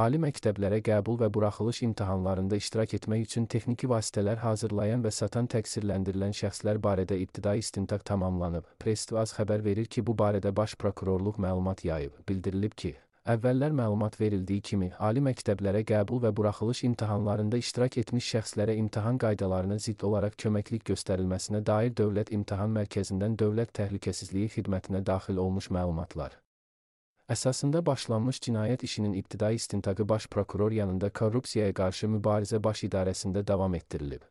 Ali məktəblərə qəbul və buraxılış imtahanlarında iştirak etmək üçün texniki vasitələr hazırlayan və satan təqsirləndirilən şəxslər barədə ibtidai istintaq tamamlanıb. Press-TV xəbər verir ki, bu barədə Baş Prokurorluq məlumat yayıb. Bildirilib ki, əvvəllər məlumat verildiyi kimi, ali məktəblərə qəbul və buraxılış imtahanlarında iştirak etmiş şəxslərə imtahan qaydalarına zidd olaraq köməklik göstərilməsinə dair Dövlət İmtahan Mərkəzindən Dövlət Təhlükəsizliyi Xidmətinə daxil olmuş məlumatlar əsasında başlanmış cinayət işinin ibtidai istintaqı Baş Prokuror yanında Korrupsiyaya qarşı mübarizə baş idarəsində davam etdirilib.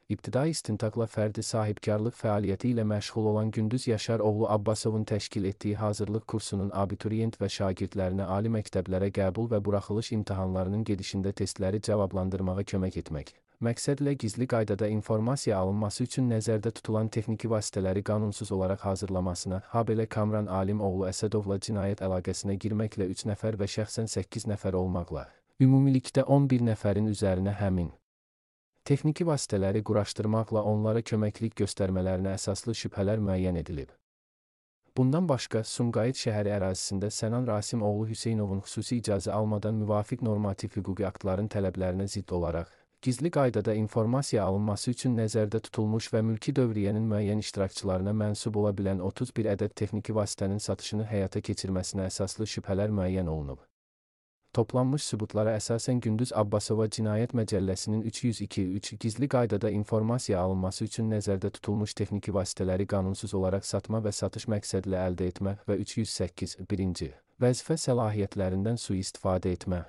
İbtidai istintaqla fərdi sahibkarlıq fəaliyyəti ilə məşğul olan Gündüz Yaşar oğlu Abbasovun təşkil etdiyi hazırlıq kursunun abituriyent və şagirdlərinə ali məktəblərə qəbul və buraxılış imtahanlarının gedişində testləri cavablandırmağa kömək etmək məqsədlə gizli qaydada informasiya alınması üçün nəzərdə tutulan texniki vasitələri qanunsuz olaraq hazırlamasına, habelə Kamran Alim oğlu Əsədovla cinayət əlaqəsinə girməklə 3 nəfər və şəxsən 8 nəfər olmaqla, ümumilikdə 11 nəfərin üzərinə həmin texniki vasitələri quraşdırmaqla onlara köməklik göstərmələrinə əsaslı şübhələr müəyyən edilib. Bundan başqa, Sumqayıt şəhəri ərazisində Sənan Rasim oğlu Hüseynovun xüsusi icazə almadan müvafiq normativ hüquqi aktların tələblərinə zidd olaraq, gizli qaydada informasiya alınması üçün nəzərdə tutulmuş və mülki dövriyyənin müəyyən iştirakçılarına mənsub ola bilən 31 ədəd texniki vasitənin satışını həyata keçirməsinə əsaslı şübhələr müəyyən olunub. Toplanmış sübutlara əsasən Gündüz Abbasova Cinayət Məcəlləsinin 302.3 gizli qaydada informasiya alınması üçün nəzərdə tutulmuş texniki vasitələri qanunsuz olaraq satma və satış məqsədlə əldə etmə və 308.1. Vəzifə səlahiyyətlərindən sui-istifadə etmə.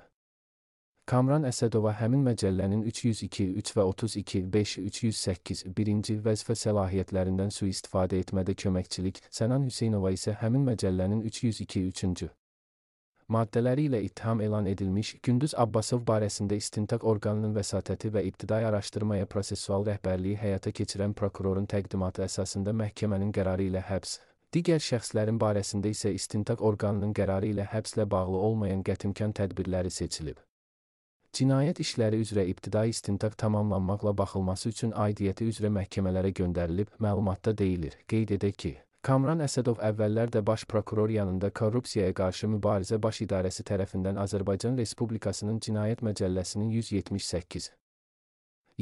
Kamran Əsədova həmin məcəllənin 302.3 və 32.5 308.1. vəzifə səlahiyyətlərindən sui-istifadə etmədə köməkçilik, Sənan Hüseynova isə həmin məcəllənin 302.3. maddələri ilə ittiham elan edilmiş, Gündüz Abbasov barəsində istintaq orqanının vəsatəti və ibtidai araşdırmaya prosessual rəhbərliyi həyata keçirən prokurorun təqdimatı əsasında məhkəmənin qərarı ilə həbs, digər şəxslərin barəsində isə istintaq orqanının qərarı ilə həbslə bağlı olmayan qətimkan tədbirləri seçilib. Cinayət işləri üzrə ibtidai istintaq tamamlanmaqla baxılması üçün aidiyyəti üzrə məhkəmələrə göndərilib, məlumatda deyilir. Qeyd edək ki, Kamran Əsədov əvvəllər də Baş Prokuror yanında Korrupsiyaya qarşı mübarizə baş idarəsi tərəfindən Azərbaycan Respublikasının Cinayət Məcəlləsinin 178,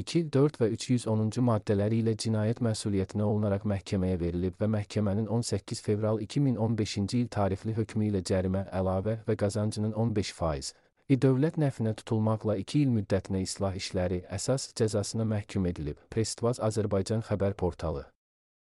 2, 4 və 310-cu maddələri ilə cinayət məsuliyyətinə olunaraq məhkəməyə verilib və məhkəmənin 18 fevral 2015-ci il tarixli hökmü ilə cərimə, əlavə və qazancının 15% dövlət nəfinə tutulmaqla 2 il müddətinə islah işləri əsas cəzasına məhkum edilib. Press-TV Azərbaycan xəbər portalı.